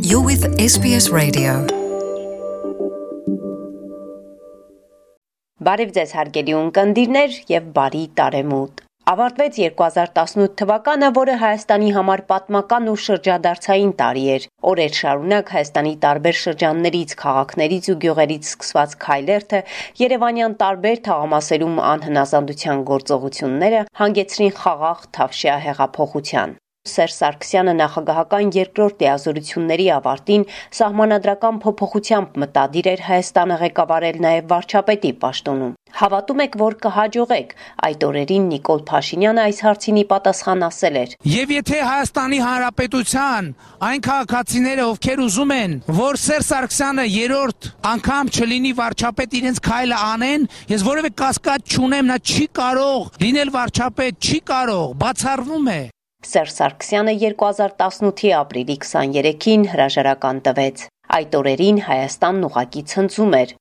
You're with SBS Radio. Բարև ձեզ հարգելի ունկնդիրներ եւ բարի տարեմուտ։ Ավարտվեց 2018 թվականը, որը Հայաստանի համար պատմական ու շրջադարձային տարի էր։ Օրեր շարունակ Հայաստանի տարբեր շրջաններից, քաղաքներից ու գյուղերից սկսված քայլերթը, Երևանյան տարբեր թաղամասերում անհնազանդության գործողությունները հանգեցրին խաղաղ Թավշյա հեղափոխության։ Սերժ Սարգսյանը նախագահական երկրորդ լիազորությունների ավարտին սահմանադրական փոփոխությամբ մտադիր էր Հայաստանը ղեկավարել նաև վարչապետի պաշտոնում։ Հավատում եք, որ կհաջողեք։ Այդ օրերին Նիկոլ Փաշինյանը այս հարցին ի պատասխան ասել էր. Եվ եթե Հայաստանի Հանրապետության այն քաղաքացիները, ովքեր ուզում են, որ Սերժ Սարգսյանը երրորդ անգամ չլինի վարչապետ, իրենց քայլը անեն, ես որևէ կասկած չունեմ, նա չի կարող լինել վարչապետ, չի կարող, բացառվում է։ Սերժ Սարգսյանը 2018-ի ապրիլի 23-ին հրաժարական տվեց։ Այդ օրերին Հայաստանն ուղղակի ցնծում էր։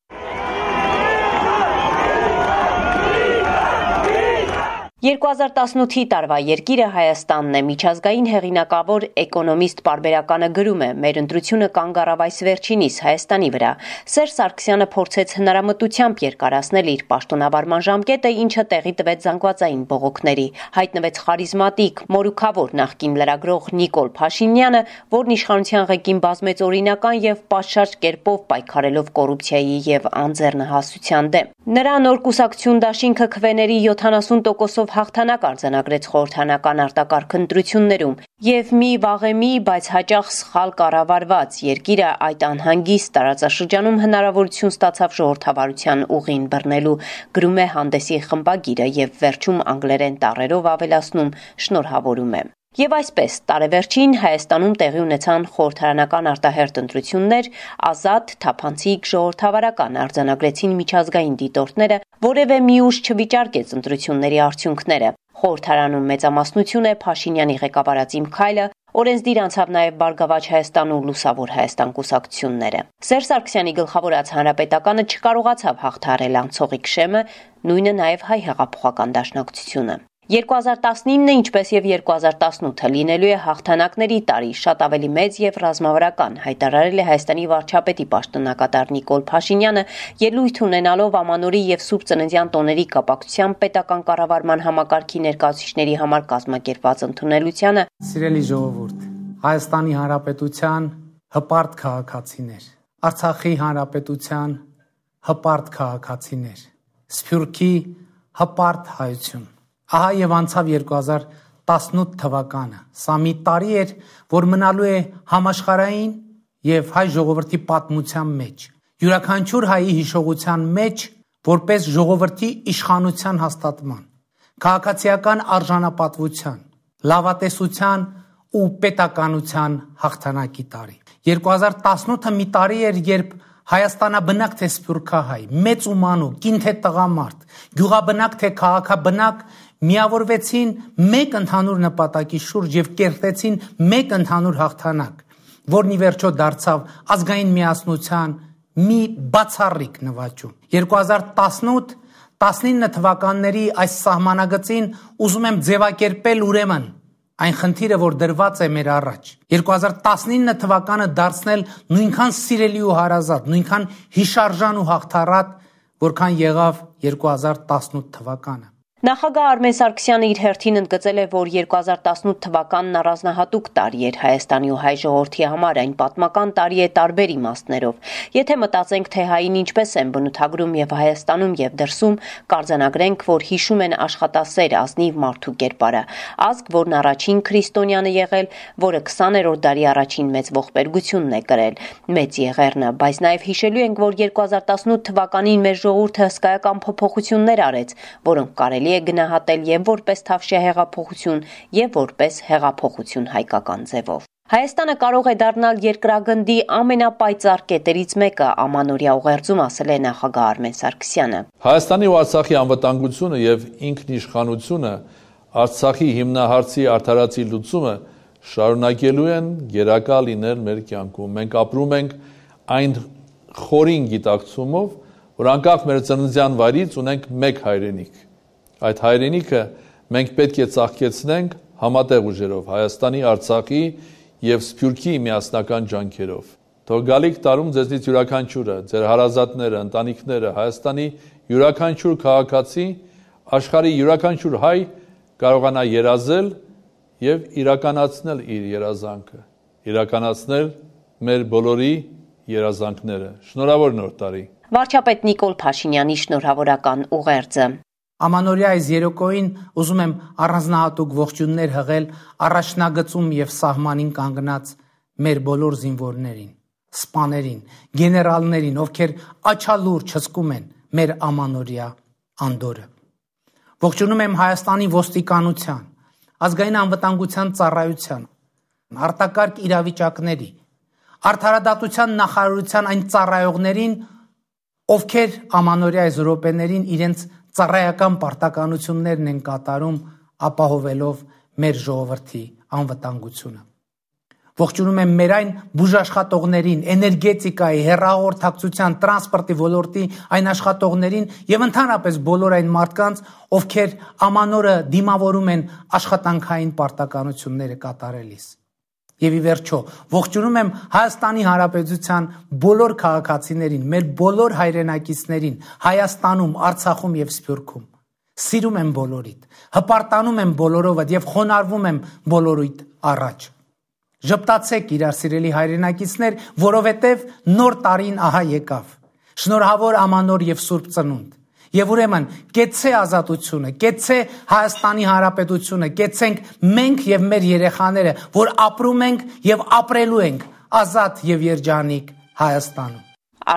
2018-ի տարվա երկիրը Հայաստանն է, միջազգային հեղինակավոր էկոնոմիստ պարբերականը գրում է. մեր ընտրությունը կանգ առավ այս վերջինիս Հայաստանի վրա։ Սերժ Սարգսյանը փորձեց հնարամտությամբ երկարացնել իր պաշտոնավարման ժամկետը, ինչը տեղի տվեց զանգվածային բողոքների։ Հայտնվեց խարիզմատիկ, մորուքավոր նախկին լրագրող Նիկոլ Փաշինյանը, որն իշխանության ղեկին բազմեց օրինական եւ պատշաճ կերպով պայքարելով կոռուպցիայի եւ անձեռնահասության դեմ։ Նրա նոր կուսակցություն դաշինքը քվեների 70%-ով հաղթանակ արձանագրեց խորհրդանական արտակարգ ընտրություններում եւ մի վաղեմի, բայց հաճախ սխալ կառավարված երկիրը այդ անհանգիստ տարածաշրջանում հնարավորություն ստացավ ժողովրդավարության ուղին բռնելու, գրում է հանդեսի խմբագիրը եւ վերջում անգլերեն տառերով ավելացնում շնորհավորում է։ Եվ այսպես, տարեվերջին Հայաստանում տեղի ունեցան խորհրդարանական արտահերթ ընտրություններ, ազատ, թափանցիկ, ժողովրդավարական արձանագրեցին միջազգային դիտորդները, որևէ մի ուժ չվիճարկեց ընտրությունների արդյունքները։ Խորհրդարանում մեծամասնություն է Փաշինյանի ղեկավարած Իմ քայլը, օրենսդիր անցավ նաև Բարգավաճ Հայաստան ու Լուսավոր Հայաստան կուսակցությունները։ Սերժ Սարգսյանի գլխավորած հանրապետականը չկարողացավ հաղթահարել անցողիկ շեմը, նույնը նաև Հայ հեղափոխական դաշնակցությունը։ 2019-ը, ինչպես եւ 2018-ը լինելու է հաղթանակների տարի, շատ ավելի մեծ եւ ռազմավարական, հայտարարել է Հայաստանի վարչապետի պաշտոնակատար Նիկոլ Փաշինյանը, ելույթ ունենալով Ամանորի եւ Սուրբ Ծննդյան տոների կապակցությամբ պետական կառավարման համակարգի ներկայացուցիչների համար կազմակերպված ընդունելությանը։ Սիրելի ժողովուրդ, Հայաստանի Հանրապետության հպարտ քաղաքացիներ, Արցախի Հանրապետության հպարտ քաղաքացիներ, Սփյուռքի հպարտ հայություն։ Ահա եւ անցավ 2018 թվականը։ Սա մի տարի էր, որ մնալու է համաշխարհային եւ հայ ժողովրդի պատմության մեջ։ Յուրաքանչյուր հայի հիշողության մեջ, որպես ժողովրդի իշխանության հաստատման, քաղաքացիական արժանապատվության, լավատեսության ու պետականության հաղթանակի տարի։ 2018-ը մի տարի էր, երբ Հայաստանաբնակ թե սփյուռքահայ, մեծ ու մանուկ, կին թե տղամարդ, գյուղաբնակ թե քաղաքաբնակ միավորվեցին մեկ ընդհանուր նպատակի շուրջ եւ կերտեցին մեկ ընդհանուր հաղթանակ, որն ի վերջո դարձավ ազգային միասնության մի բացառիկ նվաճում։ 2018-19 թվականների այս սահմանագծին ուզում եմ ձևակերպել ուրեմն այն խնդիրը, որ դրված է մեր առաջ։ 2019 թվականը դարձնել նույնքան սիրելի ու հարազատ, նույնքան հիշարժան ու հաղթառատ, որքան եղավ 2018 թվականը։ Նախագահ Արմեն Սարգսյանը իր հերթին ընդգծել է, որ 2018 թվականն առանձնահատուկ տարի էր Հայաստանի ու հայ ժողովրդի համար, այն պատմական տարի է տարբեր իմաստներով։ Եթե մտածենք, թե հային ինչպես են բնութագրում եւ Հայաստանում եւ դրսում, կարձանագրենք, որ հիշում են աշխատասեր ազնիվ մարդու կերպարը, ազգ, որն առաջին քրիստոնյանը եղել, որը 20-րդ դարի առաջին մեծ ողբերգությունն է կրել, մեծ եղեռնը, բայց նաեւ հիշելու ենք, որ 2018 թվականին մեր ժողովուրդը հսկայական փոփոխություններ արեց, որոնք կարելի է գնահատել եւ որպես Թավշյա հեղափոխություն եւ որպես հեղափոխություն հայկական ձևով։ Հայաստանը կարող է դառնալ երկրագնդի ամենապայծառ կետերից մեկը, Ամանորյա ուղերձում ասել է նախագահ Արմեն Սարգսյանը։ Հայաստանի ու Արցախի անվտանգությունը եւ ինքնիշխանությունը, Արցախի հիմնահարցի արդարացի լուծումը շարունակելու են գերակա լինել մեր կյանքում։ Մենք ապրում ենք այն խորին գիտակցումով, որ անկախ մեր ծննդյան վայրից ունենք մեկ հայրենիք։ Այդ հայրենիքը մենք պետք է ծաղկեցնենք համատեղ ուժերով Հայաստանի, Արցախի եւ Սփյուռքի միասնական ջանքերով։ Թող գալիք տարում ձեզնից յուրաքանչյուրը, ձեր հարազատները, ընտանիքները, Հայաստանի յուրաքանչյուր քաղաքացի, աշխարհի յուրաքանչյուր հայ կարողանա երազել եւ իրականացնել իր երազանքը, իրականացնել մեր բոլորի երազանքները։ Շնորհավոր նոր տարի։ Վարչապետ Նիկոլ Փաշինյանի շնորհավորական ուղերձը։ Ամանորյա այս երեկոյին ուզում եմ առանձնահատուկ ողջույններ հղել առաջնագծում եւ սահմանին կանգնած մեր բոլոր զինվորներին, սպաներին, գեներալներին, ովքեր աչալուրջ հսկում են մեր ամանորյա անդորը։ Ողջունում եմ Հայաստանի ոստիկանության, ազգային անվտանգության ծառայության, արտակարգ իրավիճակների, արդարադատության նախարարության այն ծառայողներին, ովքեր ամանորյա այս րոպեներին իրենց ծառայական պարտականություններն են կատարում, ապահովելով մեր ժողովրդի անվտանգությունը։ Ողջունում եմ մեր այն բուժաշխատողներին, էներգետիկայի, հեռահաղորդակցության, տրանսպորտի ոլորտի այն աշխատողներին եւ ընդհանրապես բոլոր այն մարդկանց, ովքեր ամանորը դիմավորում են աշխատանքային պարտականությունները կատարելիս։ Եվ ի վերջո, ողջունում եմ Հայաստանի Հանրապետության բոլոր քաղաքացիներին, մեր բոլոր հայրենակիցներին, Հայաստանում, Արցախում եւ Սփյուռքում։ Սիրում եմ բոլորիդ, հպարտանում եմ բոլորովդ եւ խոնարհվում եմ բոլորիդ առաջ։ Ժպտացեք իրար սիրելի հայրենակիցներ, որովհետև նոր տարին ահա եկավ։ Շնորհավոր ամանոր եւ Սուրբ Ծնունդ։ Եվ ուրեմն կեցցե ազատությունը, կեցցե Հայաստանի Հանրապետությունը, կեցցենք մենք եւ մեր երեխաները, որ ապրում ենք եւ ապրելու ենք ազատ եւ երջանիկ Հայաստանում։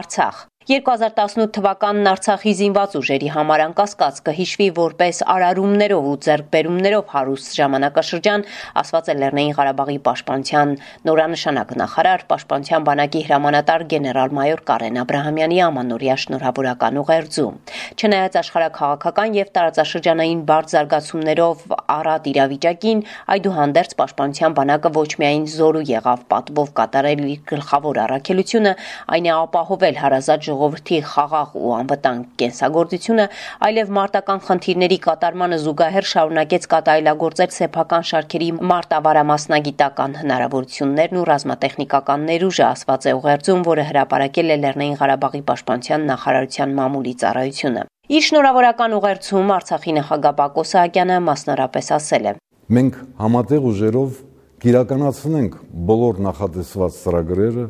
Արցախ 2018 թվականն Արցախի զինված ուժերի համար անկասկած կհիշվի որպես արարումներով ու ձեռքբերումներով հարուստ ժամանակաշրջան, ասված է Լեռնային Ղարաբաղի պաշտպանության նորանշանակ նախարար, պաշտպանության բանակի հրամանատար գեներալ-մայոր Կարեն Աբրահամյանի ամանորյա շնորհավորական ուղերձում։ Չնայած աշխարհաքաղաքական եւ տարածաշրջանային բարդ զարգացումներով առատ իրավիճակին, այդուհանդերձ պաշտպանության բանակը ոչ միայն զորու եղավ պատվով կատարել իր գլխավոր առաքելությունը, այն է ապահովել հարազատ ժողովրդի խաղաղ ու անվտանգ կենսագործությունը, այլև մարտական խնդիրների կատարմանը զուգահեռ շարունակեց կատարելագործել սեփական շարքերի մարտավարամասնագիտական հնարավորություններն ու ռազմատեխնիկական ներուժը, ասված է ուղերձում, որը հրապարակել է Լեռնային Ղարաբաղի պաշտպանության նախարարության մամուլի ծառայությունը։ Իր շնորհավորական ուղերձում Արցախի նախագահ Բակո Սահակյանը մասնարարպես ասել է. Մենք համատեղ ուժերով կիրականացնենք բոլոր նախատեսված ծրագրերը,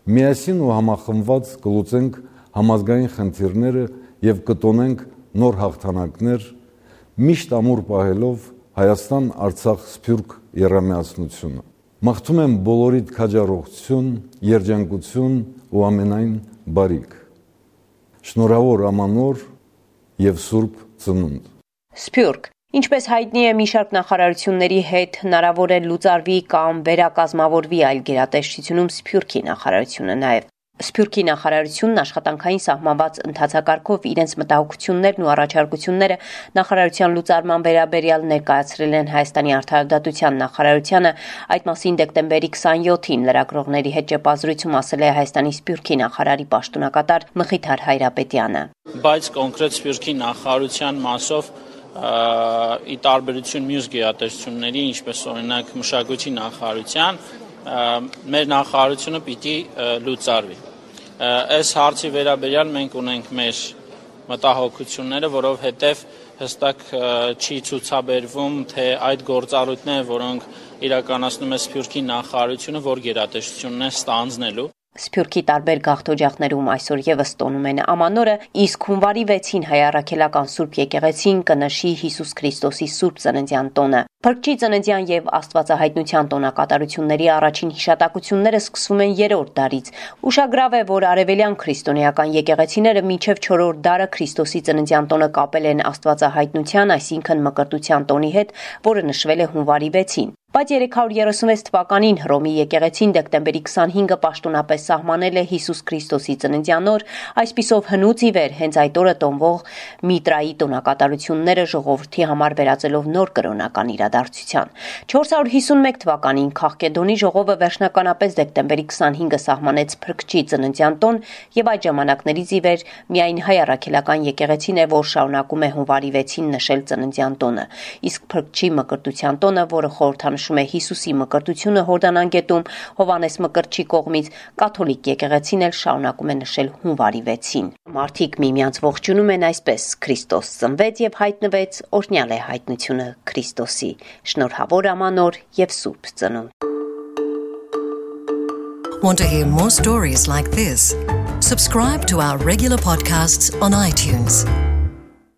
միասին ու համախմբված կլուծենք համազգային խնդիրները եւ կտոնենք նոր հաղթանակներ, միշտ ամուր պահելով Հայաստան-Արցախ-Սփյուռք եռամիացնությունը։ Մաղթում եմ բոլորիդ քաջառողություն, երջանկություն ու ամենայն բարիք։ Շնորհավոր ամանոր եւ Սուրբ Ծնունդ։ Սփյուռք Ինչպես հայտնի է, մի շարք նախարարությունների հետ հնարավոր է լուծարվի կամ վերակազմավորվի այլ գերատեսչությունում Սփյուռքի նախարարությունը նաև։ Սփյուռքի նախարարությունն աշխատանքային սահմանված ընթացակարգով իրենց մտահոգություններն ու առաջարկությունները նախարարության լուծարման վերաբերյալ ներկայացրել են Հայաստանի արդարադատության նախարարությանը, այդ մասին դեկտեմբերի 27-ին լրագրողների հետ ճեպազրույցում ասել է Հայաստանի Սփյուռքի նախարարի պաշտոնակատար Մխիթար Հայրապետյանը։ Բայց կոնկրետ Սփյուռքի նախարարության մասով ի տարբերություն մյուս գերատեսչությունների, ինչպես օրինակ մշակույթի նախարարության, մեր նախարարությունը պիտի լուծարվի։ Այս հարցի վերաբերյալ մենք ունենք մեր մտահոգությունները, որովհետև հստակ չի ցուցաբերվում, թե այդ գործառույթները, որոնք իրականացնում է Սփյուռքի նախարարությունը, որ գերատեսչությունն է ստանձնելու։ Սփյուռքի տարբեր գաղթօջախներում այսօր եւս տոնում են ամանորը, իսկ հունվարի 6-ին հայ առաքելական Սուրբ եկեղեցին կնշի Հիսուս Քրիստոսի Սուրբ Ծննդյան տոնը։ Փրկչի ծննդյան եւ Աստվածահայտնության տոնակատարությունների առաջին հիշատակությունները սկսվում են 3-րդ դարից։ Ուշագրավ է, որ արևելյան քրիստոնեական եկեղեցիները մինչև 4-րդ դարը Քրիստոսի ծննդյան տոնը կապել են Աստվածահայտնության, այսինքն Մկրտության տոնի հետ, որը նշվել է հունվարի 6-ին։ Բայց 336 թվականին Հռոմի եկեղեցին դեկտեմբերի 25-ը պաշտոնապես սահմանել է Հիսուս Քրիստոսի ծննդյան օր, այսպիսով հնուց ի վեր հենց այդ օրը տոնվող Միտրայի տոնակատարությունները ժողովրդի համար վերածելով նոր կրոնական իրադարձության։ 451 թվականին Քաղկեդոնի ժողովը վերջնականապես դեկտեմբերի 25-ը սահմանեց Փրկչի ծննդյան տոն եւ այդ ժամանակներից ի վեր միայն հայ առաքելական եկեղեցին է, որ շարունակում է հունվարի 6-ին նշել ծննդյան տոնը, իսկ Փրկչի Մկրտության տոնը, որը խորհրդանշ նշում է Հիսուսի մկրտությունը Հորդանան գետում Հովանես Մկրտչի կողմից, կաթոլիկ եկեղեցին էլ շարունակում է նշել հունվարի 6-ին։ Մարդիկ միմյանց ողջունում են այսպես. Քրիստոս ծնվեց եւ հայտնվեց, օրհնյալ է հայտնությունը Քրիստոսի։ Շնորհավոր ամանոր եւ սուրբ ծնունդ։ Want to hear more stories like this? Subscribe to our regular podcasts on iTunes.